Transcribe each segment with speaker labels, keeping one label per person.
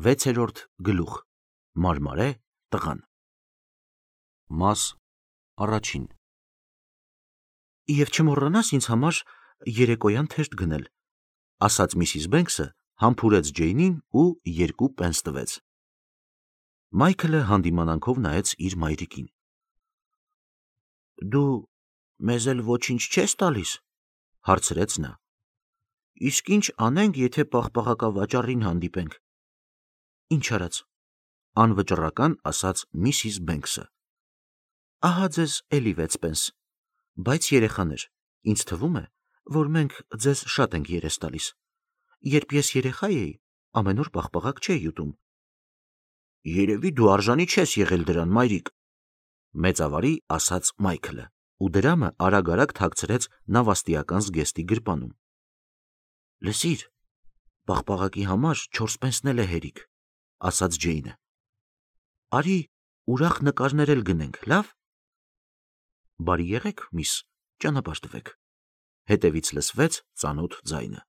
Speaker 1: 6-րդ գլուխ Մարմարե տղան Մաս առաջին Եվ չմոռանաս ինձ համար երեկոյան թեժ գնել, ասաց Միսիս Բենքսը, համբուրեց Ջեյնին ու 2 պենս տվեց։ Մայքլը հանդիմանանքով նայեց իր մայրիկին։ Դու մեզ էլ ոչինչ չես տալիս, հարցրեց նա։ Իսկ ինչ անենք, եթե պաղպաղակավաճառին հանդիպենք։ Ինչ արած, անվճռական ասաց Միսիս Բենքսը։ Ահա ձեզ էլի 6 պենս, բայց երեխաներ, ինձ թվում է, որ մենք ձեզ շատ ենք երես տալիս։ Երբ ես երեխա էի, ամեն օր պաղպաղակ չէի ուտում։ Երևի դու արժանի չես եղել դրան, մայրիկ, մեծավարի ասաց Մայքլը, ու դրամը արագ-արագ թաքցրեց նավաստիական զգեստի գրպանում։ Լսիր, պաղպաղակի համար 4 պենսն էլ է հերիք, ասաց Ջեյնը։ Արի, ուրախ նկարներ էլ գնենք, լավ։ Բարի եղեք, միս, ճանապարհ տվեք։ Հետևից լսվեց ծանոթ ձայնը։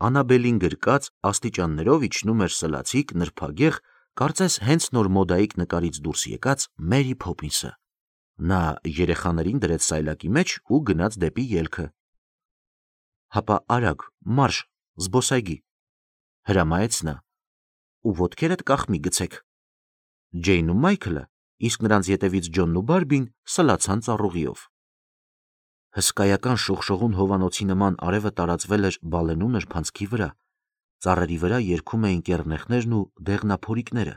Speaker 1: Անաբելին գրկած աստիճաններով իջնում էր սլացիկ, նրբագեղ, կարծես հենց նոր մոդայիկ նկարից դուրս եկած Մերի Փոփինսը։ Նա երեխաներին դրեց սայլակի մեջ ու գնաց դեպի ելքը։ Հապա արագ, մարշ, զբոսայգի, հրամայեց նա, ու ոտքերդ կախմի գցեք։ Ջեյն ու Մայքլը, իսկ նրանց ետևից Ջոնն ու Բարբին սլացան ծառուղիով։ Հսկայական շողշողուն հովանոցի նման արևը տարածվել էր բալենու նրբանցքի վրա, ծառերի վրա երգում էին կեռնեխներն ու դեղնափորիկները,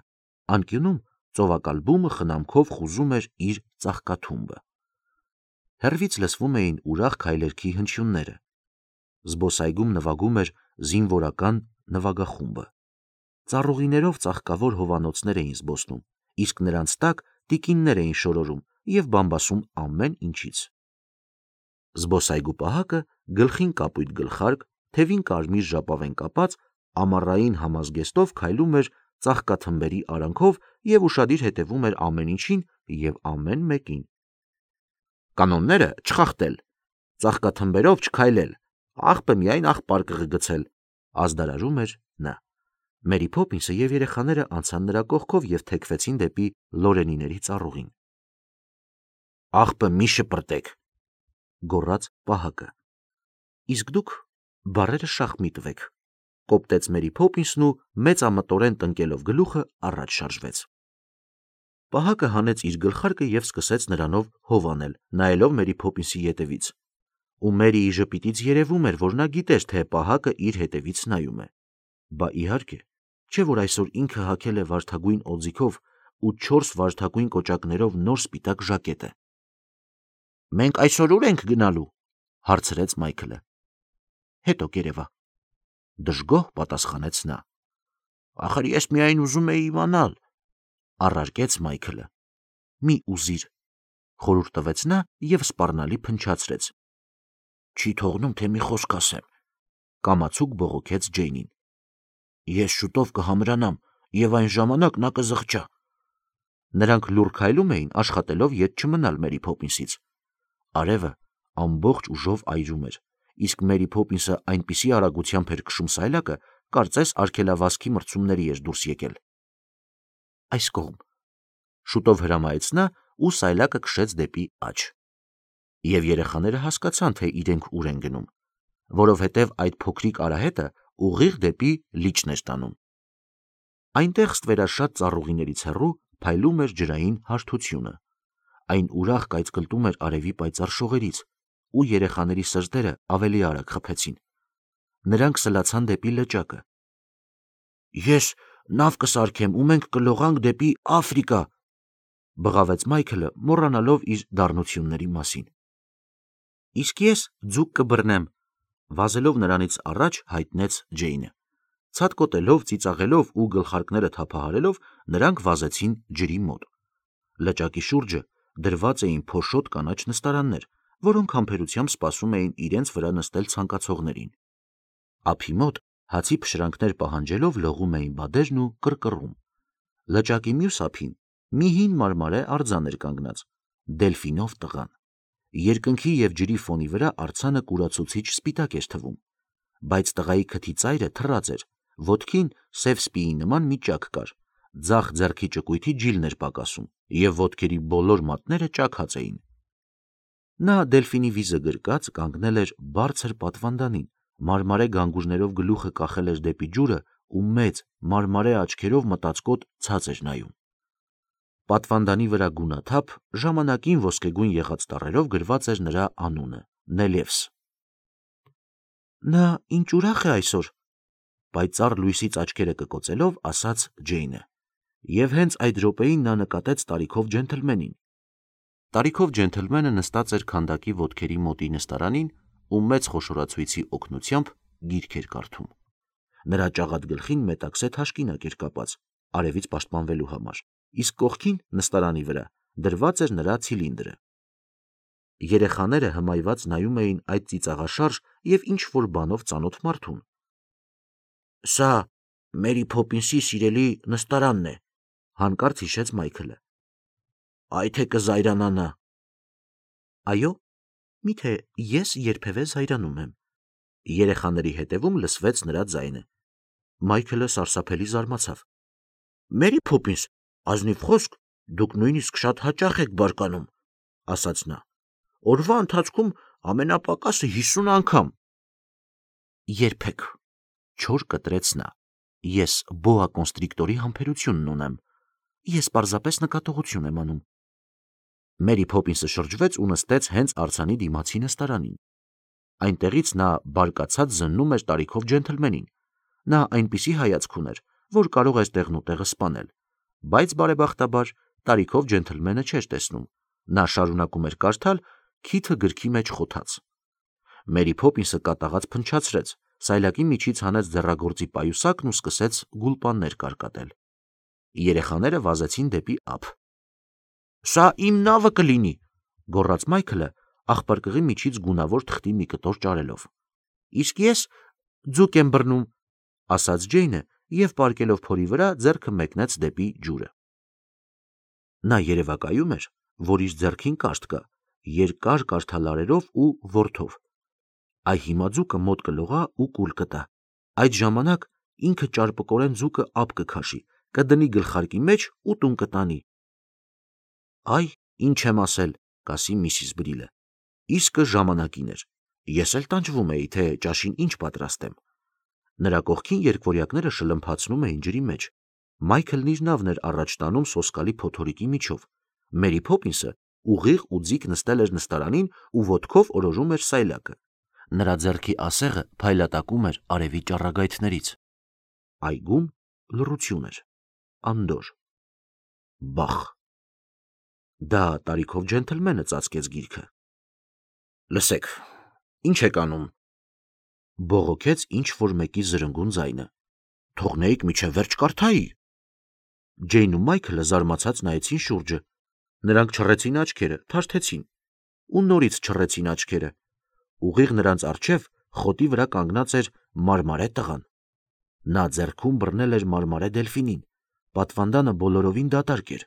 Speaker 1: անկյունում ծովակալբումը խնամքով խուզում էր իր ծաղկաթումբը։ Հեռվից լսվում էին ուրախ քայլերքի հնչյունները։ Զբոսայգում նվագում էր զինվորական նվագախումբը։ Ծառուղիներով ծաղկավոր հովանոցներ էին զբոսնում, իսկ նրանց տակ տիկիններ էին շորորում և բամբասում ամեն ինչից։ Զբոսայգու պահակը գլխին կապույտ գլխարկ, թևին կարմիր ժապավեն կապած, ամառային համազգեստով քայլում էր ծաղկաթմբերի արանքով և ուշադիր հետևում էր ամեն ինչին և ամեն մեկին։ Կանոնները չխախտել, ծաղկաթմբերով չքայլել, աղբը միայն աղբար կղգցել, ազդարարում էր նա։ Մերի Փոփինսը և երեխաները անցան նրա կողքով և թեքվեցին դեպի լորենիների ծառուղին։ Աղբը մի շպրտեք, գոռաց պահակը։ Իսկ դուք բառերը շախ մի տվեք, կոպտեց Մերի Փոփինսն ու մեծամտորեն տնկելով գլուխը առաջ շարժվեց։ Պահակը հանեց իր գլխարկը և սկսեց նրանով հով անել, նայելով Մերի Փոփինսի ետևից։ Ու Մերիի ժպիտից երևում էր, որ նա գիտեր, թե պահակը իր հետևից նայում է։ Բա իհարկե, չէ՞ որ այսօր ինքը հագել է վարդագույն օձիքով ու 4 վարդագույն կոճակներով նոր սպիտակ ժակետը։ Մենք այսօր ուր ենք գնալու, հարցրեց Մայքլը։ Հետո կերևա, դժգոհ պատասխանեց նա։ Ախր ես միայն ուզում էի իմանալ, առարկեց Մայքլը։ Մի ուզիր, խորհուրդ տվեց նա և սպառնալի փնչացրեց։ Չի թողնում, թե մի խոսք ասեմ, կամացուկ բողոքեց Ջեյնին։ Ես շուտով կհամրանամ և այն ժամանակ նա կզղջա։ Նրանք լուռ քայլում էին, աշխատելով ետ չմնալ Մերի Փոփինսից։ Արևը ամբողջ ուժով այրում էր, իսկ Մերի Փոփինսը այնպիսի արագությամբ էր քշում սայլակը, կարծես արգելավազքի մրցումների էր դուրս եկել։ Այս կողմ, շուտով հրամայեց նա ու սայլակը քշեց դեպի աջ։ Եվ երեխաները հասկացան, թե իրենք ուր են գնում, որովհետև այդ փոքրիկ արահետը ուղիղ դեպի լիճն էր տանում։ Այնտեղ ստվերաշատ ծառուղիներից հեռու փայլում էր ջրային հարթությունը։ Այն ուրախ կայծկլտում էր արևի պայծառ շողերից, ու երեխաների սրտերը ավելի արագ խփեցին։ Նրանք սլացան դեպի լճակը։ Ես նավ կսարքեմ ու մենք կլողանք դեպի Աֆրիկա, բղավեց Մայքլը, մոռանալով իր դառնությունների մասին։ Իսկ ես ձուկ կբռնեմ, վազելով նրանից առաջ հայտնեց Ջեյնը։ Ցատկոտելով, ծիծաղելով ու գլխարկները թափահարելով, նրանք վազեցին ջրի մոտ։ Լճակի շուրջը դրված էին փոշոտ կանաչ նստարաններ, որոնք համբերությամբ սպասում էին իրենց վրա նստել ցանկացողներին։ Ափի մոտ հացի փշրանքներ պահանջելով լողում էին բադերն ու կռկռում։ Լճակի մյուս ափին մի հին մարմարե արձան էր կանգնած, Դելֆինով տղան։ Երկնքի և ջրի ֆոնի վրա արձանը կուրացուցիչ սպիտակ էր թվում, բայց տղայի քթի ծայրը թռած էր, ոտքին սև սպիի նման մի ճաք կար, ձախ ձեռքի ճկույթի ջիլն էր պակասում, և ոտքերի բոլոր մատները ճաքած էին։ Նա դելֆինի վիզը գրկած կանգնել էր բարձր պատվանդանին, մարմարե գանգուժներով գլուխը կախել էր դեպի ջուրը ու մեծ մարմարե աչքերով մտածկոտ ցած էր նայում։ Պատվանդանի վրա գունաթափ, ժամանակին ոսկեգույն եղած տառերով գրված էր նրա անունը՝ Նելևս։ Նա ինչ ուրախ է այսօր, պայծառ լույսից աչքերը կկոցելով ասաց Ջեյնը, և հենց այդ րոպեին նա նկատեց տարիքով ջենթլմենին։ Տարիքով ջենթլմենը նստած էր քանդակի ոտքերի մոտի նստարանին ու մեծ խոշորացույցի օգնությամբ գիրք էր կարդում։ Նրա ճաղատ գլխին մետաքսե թաշկինակ էր կապած, արևից պաշտպանվելու համար, իսկ կողքին նստարանի վրա դրված էր նրա ցիլինդրը։ Երեխաները հմայված նայում էին այդ ծիծաղաշարժ և ինչ-որ բանով ծանոթ մարդուն։ Սա Մերի Փոփինսի սիրելի նստարանն է, հանկարծ հիշեց Մայքլը։ Այ թե կզայրանա նա։ Այո, միթե ես երբևէ զայրանում եմ։ Երեխաների հետևում լսվեց նրա ձայնը։ Մայքլը սարսափելի զարմացավ։ Մերի Փոփինս, ազնիվ խոսք, դուք նույնիսկ շատ հաճախ եք բարկանում, ասաց նա։ Օրվա ընթացքում ամենապակասը 50 անգամ։ Երբեք, չոր կտրեց նա։ Ես բոա կոնստրիկտորի համբերությունն ունեմ։ Ես պարզապես նկատողություն եմ անում։ Մերի Փոփինսը շրջվեց ու նստեց հենց արձանի դիմացի նստարանին։ Այնտեղից նա բարկացած զննում էր տարիքով ջենթլմենին։ Նա այնպիսի հայացք ուներ, որ կարող էր տեղնուտեղը սպանել, բայց բարեբախտաբար տարիքով ջենթլմենը չէր տեսնում։ Նա շարունակում էր կարդալ, քիթը գրքի մեջ խոթաց։ Մերի Փոփինսը կատաղած փնչացրեց, սայլակի միջից հանեց ձեռագործի պայուսակն ու սկսեց գուլպաններ կարկատել։ Երեխաները վազեցին դեպի ափ։ Սա իմ նավը կլինի, գոռաց Մայքլը, աղբարկղի միջից գունավոր թղթի մի կտոր ճարելով։ Իսկ ես ձուկ եմ բռնում, ասաց Ջեյնը և պառկելով փորի վրա ձեռքը մեկնեց դեպի ջուրը։ Նա երևակայում էր, որ իր ձեռքին կաշտ կա, երկար կարդալարերով ու որդով։ Այ հիմա ձուկը մոտ կլողա ու կուլ կտա։ Այդ ժամանակ ինքը ճարպկորեն ձուկը ափ կքաշի, կդնի գլխարկի մեջ ու տուն կտանի։ Այ, ինչ եմ ասել, կասի Միսիս Բրիլը։ Իսկը ժամանակին էր։ Ես էլ տանջվում էի, թե ճաշին ինչ պատրաստեմ։ Նրա կողքին երկվորյակները շլմփացնում էին ջրի մեջ։ Մայքլն իր նավն էր առաջ տանում սոսկալի փոթորիկի միջով։ Մերի Փոփինսը ուղիղ ու ձիգ նստել էր նստարանին ու ոտքով օրորում էր սայլակը։ Նրա ձեռքի ասեղը փայլատակում էր արևի ճառագայթներից։ Այգում լռություն էր, անդորր։ Բախ։ Դա տարիքով ջենթլմենը ծածկեց գիրքը։ Լսեք, ինչ եք անում, բողոքեց ինչ-որ մեկի զրնգուն ձայնը։ Թողնեիք միջև վերջ կարդայի։ Ջեյնն ու Մայքլը զարմացած նայեցին շուրջը։ Նրանք չռեցին աչքերը, թարթեցին ու նորից չռեցին աչքերը։ Ուղիղ նրանց առջև խոտի վրա կանգնած էր մարմարե տղան։ Նա ձեռքում բռնել էր մարմարե դելֆինին։ Պատվանդանը բոլորովին դատարկ էր։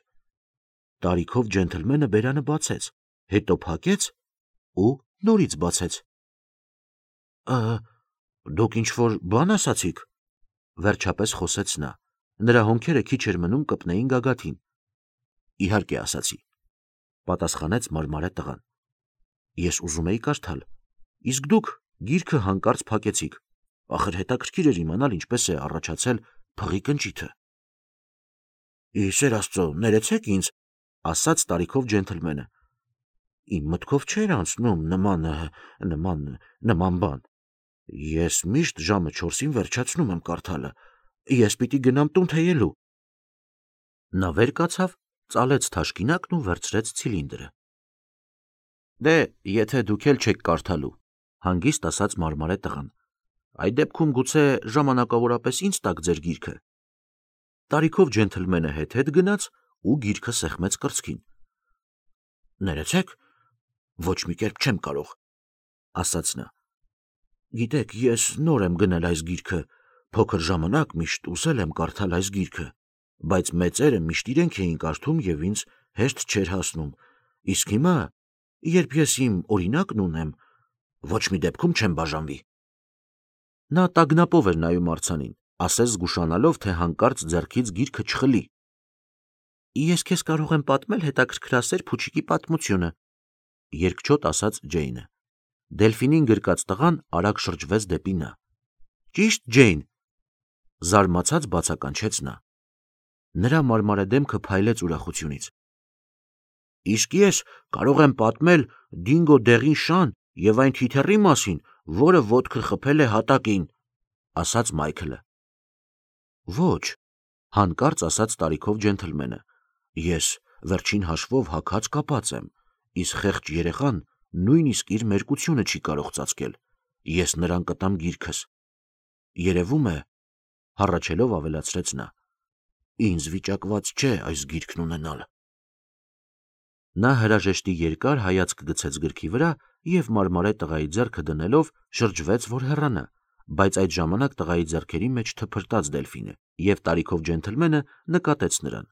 Speaker 1: Տարիքով ջենթլմենը բերանը բացեց, հետո փակեց ու նորից բացեց։ Դուք ինչ-որ բան ասացիք, վերջապես խոսեց նա։ Նրա հոնքերը քիչ էր մնում կպնեին գագաթին։ Իհարկե ասացի, պատասխանեց մարմարե տղան։ Ես ուզում էի կարդալ, իսկ դուք գիրքը հանկարծ փակեցիք։ Ախր հետաքրքիր էր իմանալ ինչպես է առաջացել փղի կնճիթը։ Իսեր Աստծո, ներեցեք ինձ, ասաց տարիքով ջենթլմենը։ Իմ մտքով չէր անցնում նման բան։ Ես միշտ ժամը 4-ին վերջացնում եմ կարդալը։ Ես պիտի գնամ տուն թեյելու։ Նա վեր կացավ, ծալեց թաշկինակն ու վերցրեց ցիլինդրը։ Դե, եթե դուք էլ չեք կարդալու, հանգիստ ասաց մարմարե տղան, այդ դեպքում գուցե ժամանակավորապես ինձ տաք ձեր գիրքը։ Տարիքով ջենթլմենը հետ գնաց ու գիրքը սեղմեց կրծքին։ Ներեցեք, ոչ մի կերպ չեմ կարող, ասաց նա։ Գիտեք, ես նոր եմ գնել այս գիրքը, փոքր ժամանակ միշտ ուզել եմ կարդալ այս գիրքը, բայց մեծերը միշտ իրենք էին կարդում և ինձ հեշտ չէր հասնում, իսկ հիմա, երբ ես իմ օրինակն ունեմ, ոչ մի դեպքում չեմ բաժանվի։ Նա տագնապով էր նայում արձանին, ասես զգուշանալով, թե հանկարծ ձեռքից գիրքը չխլի։ Ես քեզ կարող եմ պատմել հետաքրքրասեր փուչիկի պատմությունը, երկչոտ ասաց Ջեյնը։ Դելֆինին գրկած տղան արագ շրջվեց դեպի նա։ Ճիշտ, Ջեյն, զարմացած բացականչեց նա։ Նրա մարմարե դեմքը փայլեց ուրախությունից։ Իսկ ես կարող եմ պատմել Դինգո դեղին շան եւ այն թիթեռի մասին, որը ոտքը խփել է հատակին, ասաց Մայքլը։ Ոչ, հանկարծ ասաց տարիքով ջենթլմենը։ Ես վերջին հաշվով հագած կապած եմ, իսկ խեղճ երեխան նույնիսկ իր մերկությունը չի կարող ծածկել։ Ես նրան կտամ գիրքս։ Երևում է, հառաչելով ավելացրեց նա, ինձ վիճակված չէ այս գիրքն ունենալ։ Նա հրաժեշտի երկար հայացք գցեց գրքի վրա եւ մարմարե տղայի ձեռքը դնելով շրջվեց, որ հեռանա, բայց այդ ժամանակ տղայի ձեռքերի մեջ թփրտաց Դելֆինը եւ տարիքով ջենթլմենը նկատեց նրան։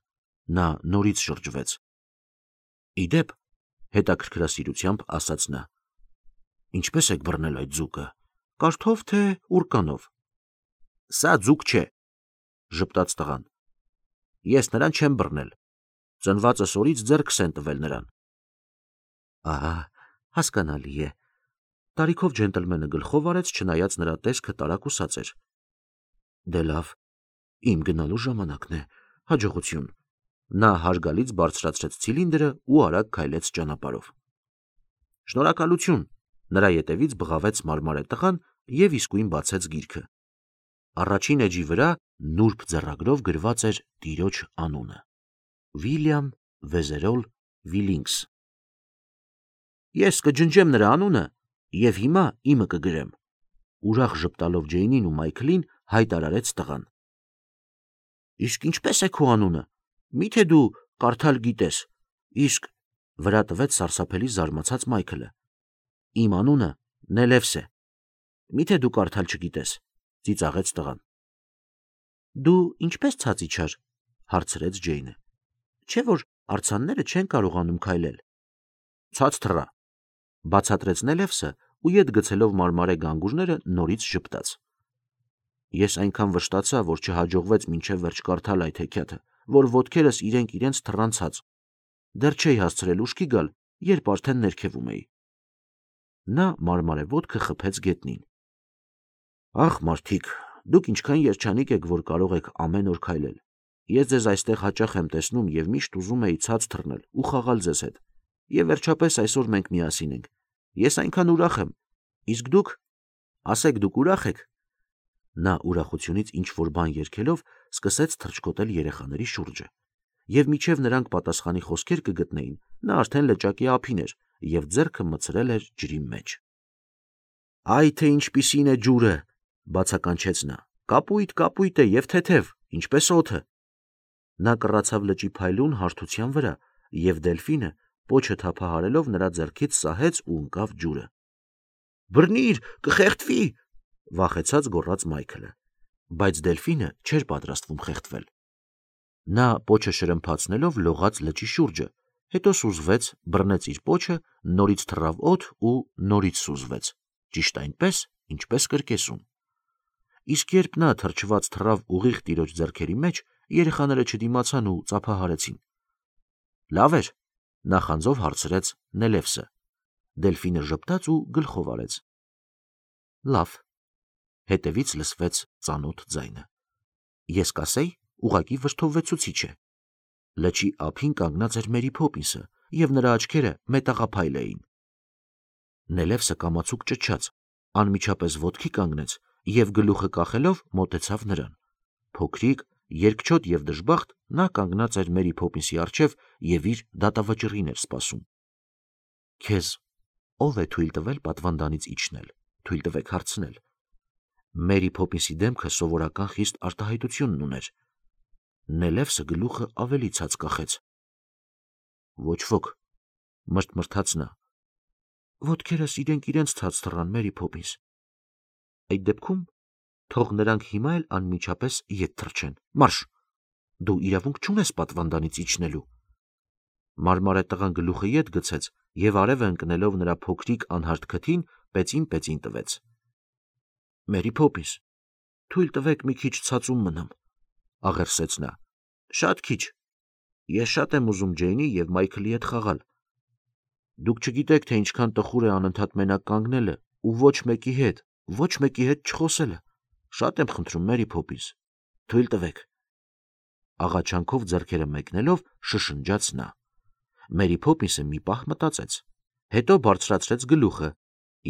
Speaker 1: Նա նորից շրջվեց։ Իդեպ, հետաքրքրասիրությամբ ասաց նա. Ինչպես եք բռնել այդ ձուկը, կարթով թե ուրկանով։ Սա ձուկ չէ, ժպտաց տղան։ Ես նրան չեմ բռնել։ Ծնվածս օրից ձեռքս են տվել նրան։ Ահա, հասկանալի է։ Տարիքով ջենտլմենը գլխով արեց, չնայած նրա տեսքը տարակուսած էր։ Դե լավ, իմ գնալու ժամանակն է, հաջողություն։ Նա հարգալից բարձրացրեց ցիլինդրը ու արագ քայլեց ճանապարհով։ Շնորհակալություն, նրա ետևից բղավեց մարմարե տղան եւ իսկույն բացեց գիրքը։ Առաջին էջի վրա նուրբ ձեռագրով գրված էր տիրոջ անունը. Վիլյամ Վեզերոլ Վիլինգս։ Ես կջնջեմ նրա անունը եւ հիմա իմը կգրեմ։ Ուրախ ժպտալով Ջեյնին ու Մայքլին հայտարարեց տղան։ Իսկ ինչպես է քո անունը։ Միթե դու կարդալ գիտես։ Իսկ վրա տվեց սարսափելի զարմացած Մայքլը։ Իմ անունը Նելևս է։ Միթե դու կարդալ չգիտես, ծիծաղեց տղան։ Դու ինչպես ցած իջար, հարցրեց Ջեյնը։ Չէ՞ որ արձանները չեն կարողանում քայլել։ Ցած թռա, բացատրեց Նելևսը ու ետ գցելով մարմարե գանգուրները նորից ժպտաց։ Ես այնքան վշտացա, որ չհաջողվեց մինչև վերջ կարդալ այդ հեքիաթը, որ ոտքերս իրենք թռան ցած։ Դեռ չէի հասցրել ուշքի գալ, երբ արդեն ներքևում էի։ Նա մարմարե ոտքը խփեց գետնին։ Ախ, մարդիկ, դուք ինչքան երջանիկ եք, որ կարող եք ամեն օր քայլել։ Ես ձեզ այստեղ հաճախ եմ տեսնում եւ միշտ ուզում էի ցած թռնել ու խաղալ ձեզ հետ։ Եվ վերջապես այսօր մենք միասին ենք։ Ես այնքան ուրախ եմ։ Իսկ դուք, ասեք, դուք ուրախ եք։ Նա ուրախությունից ինչ որ բան երգելով սկսեց թռչկոտել երեխաների շուրջը։ Եվ միջև նրանք պատասխանի խոսքեր կգտնեին, նա արդեն լճակի ափին էր եւ ձեռքը մցրել էր ջրի մեջ։ Այ թե ինչպիսին է ջուրը, բացականչեց նա։ Կապույտ, կապույտ է եւ թեթև, ինչպես օդը։ Նա կռացավ լճի փայլուն հարթության վրա եւ Դելֆինը պոչը թափահարելով նրա ձեռքից սահեց ու ընկավ ջուրը։ Բռնիր, կխեղդվի, վախեցած գոռաց Մայքլը, բայց Դելֆինը չէր պատրաստվում խեղդվել։ Նա պոչը շրմփացնելով լողաց լճի շուրջը, հետո սուզվեց, բռնեց իր պոչը, նորից թռավ օդ ու նորից սուզվեց, ճիշտ այնպես, ինչպես կրկեսում։ Իսկ երբ նա թրջված թռավ ուղիղ տիրոջ ձեռքերի մեջ, երեխաները չդիմացան ու ծափահարեցին։ Լավ էր, նախանձով հարցրեց Նելևսը։ Դելֆինը ժպտաց ու գլխով արեց։ Լավ։ Հետևից լսվեց ծանոթ ձայնը։ Ես կասեի, ուղակի վրդովվեցուցիչ է։ Լճի ափին կանգնած էր Մերի Փոփինսը, եւ նրա աչքերը մետաղափայլ էին։ Նելևսը կամացուկ ճչաց, անմիջապես ոտքի կանգնեց եւ գլուխը կախելով մոտեցավ նրան։ Փոքրիկ, երկչոտ եւ դժբախտ նա կանգնած էր Մերի Փոփինսի առջև եւ իր դատավճռին էր սպասում։ Քեզ ով է թույլ տվել պատվանդանից իջնել, թույլ տվեք հարցնել։ Մերի Փոփինսի դեմքը սովորական խիստ արտահայտությունն ուներ։ Նելևսը գլուխը ավելի ցած կախեց։ Ոչ ոք, մրթմրթաց նա։ Ոտքերս իրենց ցած թռան, Մերի Փոփինս։ Այդ դեպքում թող նրանք հիմա էլ անմիջապես ետ թռչեն։ Մարշ։ Դու իրավունք չունես պատվանդանից իջնելու։ Մարմարե տղան գլուխը ետ գցեց եւ արևը ընկնելով նրա փոքրիկ անհարթ քթին, պեցին տվեց։ Մերի Փոփինս, Թույլ տվեք մի քիչ ցածում մնամ, աղերսեց նա։ Շատ քիչ։ Ես շատ եմ ուզում Ջեյնի և Մայքլի հետ խաղալ։ Դուք չգիտեք, թե ինչքան տխուր է անընդհատ մենակ կանգնելը ու ոչ մեկի հետ չխոսելը։ Շատ եմ խնդրում, Մերի Փոփինս, թույլ տվեք։ Աղաչանքով ձեռքերը մեկնելով շշնջաց նա։ Մերի Փոփինսը մի պահ մտածեց, հետո բարձրացրեց գլուխը,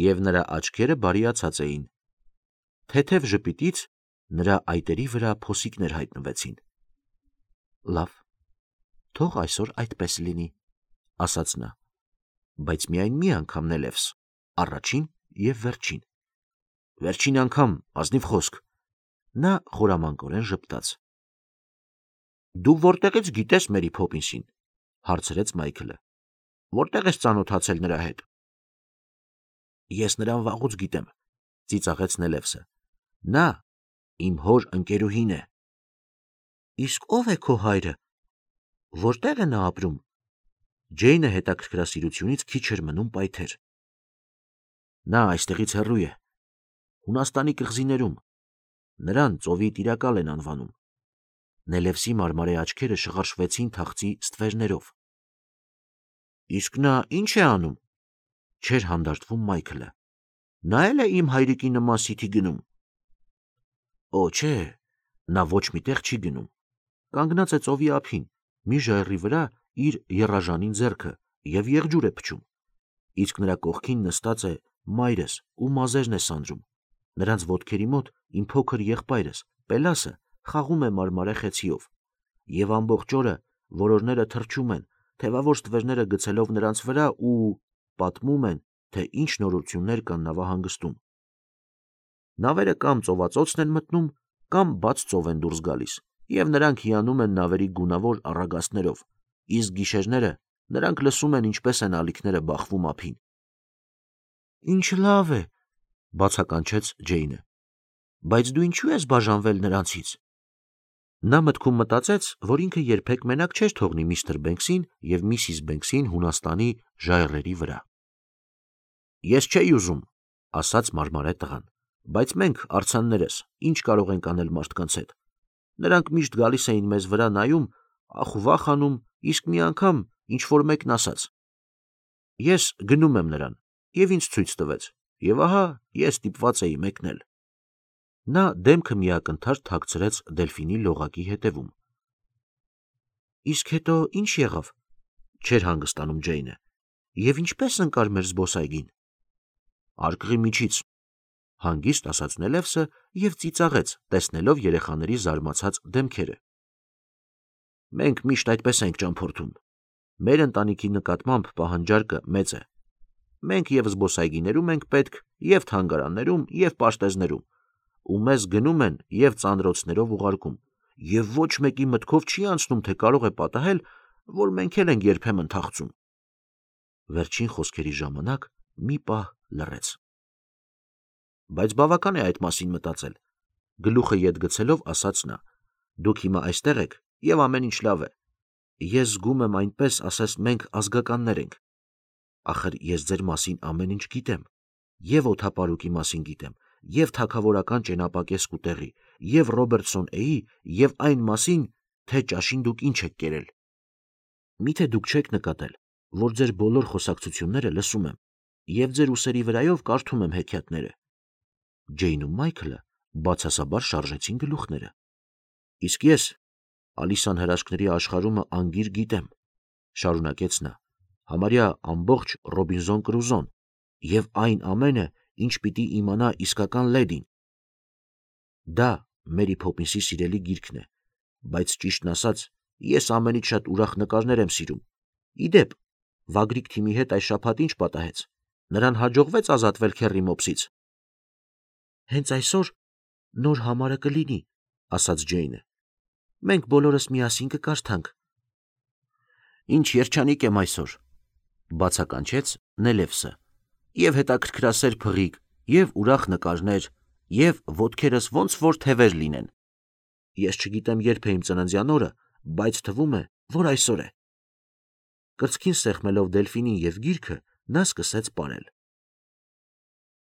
Speaker 1: և նրա աչքերը բարիացած էին։ Թեթև ժպիտից նրա այտերի վրա փոսիկներ հայտնվեցին։ Լավ, թող այսօր այդպես լինի, ասաց նա, բայց միայն մի անգամ Նելևս, առաջին և վերջին։ Վերջին անգամ, ազնիվ խոսք։ Նա խորամանկորեն ժպտաց։ Դու որտեղից գիտես Մերի Փոփինսին, հարցրեց Մայքլը։ Որտեղ ես ծանոթացել նրա հետ։ Ես նրան վաղուց գիտեմ, ծիծաղեց Նելևսը։ Նա իմ հոր ընկերուհին է։ Իսկ ով է քո հայրը։ Որտեղ է նա ապրում։ Ջեյնը հետաքրքրասիրությունից քիչ էր մնում պայթեր։ Նա այստեղից հեռու է, Հունաստանի կղզիներում, նրան ծովի տիրակալ են անվանում։ Նելևսի մարմարե աչքերը շղարշվեցին թախծի ստվերներով։ Իսկ նա ինչ է անում։ Չէր հանդարտվում Մայքլը։ Նա էլ է իմ հայրիկի նման սիթի գնում։ Օ, չէ, նա ոչ միտեղ չի գնում։ Կանգնած է ծովի ափին, մի ժայռի վրա իր եռաժանին ձեռքը և եղջյուր է փչում։ Իսկ նրա կողքին նստած է մայրս ու մազերն է սանրում։ Նրանց ոտքերի մոտ իմ փոքր եղբայրս, Պելասը, խաղում է մարմարե խեցիով։ Եվ ամբողջ օրը որորները թռչում են, թևավոր ստվերները գցելով նրանց վրա ու պատմում են, թե ինչ նորություններ կան նավահանգստում։ Նավերը կամ ծովածոցն են մտնում, կամ բաց ծով են դուրս գալիս, և նրանք հիանում են նավերի գունավոր առագաստներով, իսկ գիշերները նրանք լսում են ինչպես են ալիքները բախվում ափին։ Ինչ լավ է, բացականչեց Ջեյնը, բայց դու ինչու ես բաժանվել նրանցից։ Նա մտքում մտածեց, որ ինքը երբեք մենակ չէր թողնի միստր Բենքսին և միսիս Բենքսին Հունաստանի ժայռերի վրա։ Ես չէի ուզում, ասաց մարմարե տղան, բայց մենք, արձաններս, ինչ կարող ենք անել մարդկանց հետ։ Նրանք միշտ գալիս էին մեզ վրա նայում, ախուվախ անում, իսկ մի անգամ ինչ-որ մեկն ասաց. Ես գնում եմ նրան, և ինձ ցույց տվեց, և ահա ես ստիպված էի մեկնել։ Նա դեմքը միակնթար թաքցրեց Դելֆինի լողակի հետևում։ Իսկ հետո ինչ եղավ, չէր հանգստանում Ջեյնը, և ինչպես ընկար մեր զբոսայգին։ Արկղի միջից, հանգիստ ասաց Նելևսը և ծիծաղեց, տեսնելով երեխաների զարմացած դեմքերը։ Մենք միշտ այդպես ենք ճամփորդում։ Մեր ընտանիքի նկատմամբ պահանջարկը մեծ է։ Մենք և զբոսայգիներում ենք պետք, և թանգարաններում, և պաշտեզներում, ու մեզ գնում են և ծանրոցներով ուղարկում, և ոչ մեկի մտքով չի անցնում, թե կարող է պատահել, որ մենք էլ ենք երբեմն թախծում։ Վերջին խոսքերի ժամանակ մի պահ լռեց։ Բայց բավական է այդ մասին մտածել, գլուխը ետ գցելով ասաց նա։ Դուք հիմա այստեղ եք, և ամեն ինչ լավ է։ Ես զգում եմ այնպես, ասես մենք ազգականներ ենք։ Ախր ես ձեր մասին ամեն ինչ գիտեմ, և օդապարուկի մասին գիտեմ, և թագավորական ճենապակես կուտեղի, և Ռոբերտսոն Էի, և այն մասին, թե ճաշին դուք ինչ եք կերել։ Միթե դուք չեք նկատել, որ ձեր բոլոր խոսակցությունները լսում եմ, և ձեր ուսերի վրայով կարդում եմ հեքիաթները։ Ջեյն ու Մայքլը բացասաբար շարժեցին գլուխները։ Իսկ ես Ալիսան հրաշքների աշխարհումը անգիր գիտեմ, շարունակեց նա, համարյա ամբողջ Ռոբինզոն Կրուզոն, և այն ամենը, ինչ պիտի իմանա իսկական լեդին։ Դա Մերի Փոփինսի սիրելի գիրքն է, բայց ճիշտն ասած, ես ամենից շատ ուրախ նկարներ եմ սիրում։ Իդեպ, Վագրիկ թիմի հետ այս շաբաթ ինչ պատահեց։ Նրան հաջողվեց ազատվել Քեռի մոպսից։ Հենց այսօր նոր համարը կլինի, ասաց Ջեյնը։ Մենք բոլորս միասին կկարդանք։ Ինչ երջանիկ եմ այսօր, բացականչեց Նելևսը, և հետաքրքրասեր փղիկ, և ուրախ նկարներ, և ոտքերս ոնց որ թևեր լինեն։ Ես չգիտեմ երբ է իմ ծննդյան օրը, բայց թվում է, որ այսօր է։ Կրծքին սեղմելով Դելֆինին և գիրքը, նա սկսեց պարել։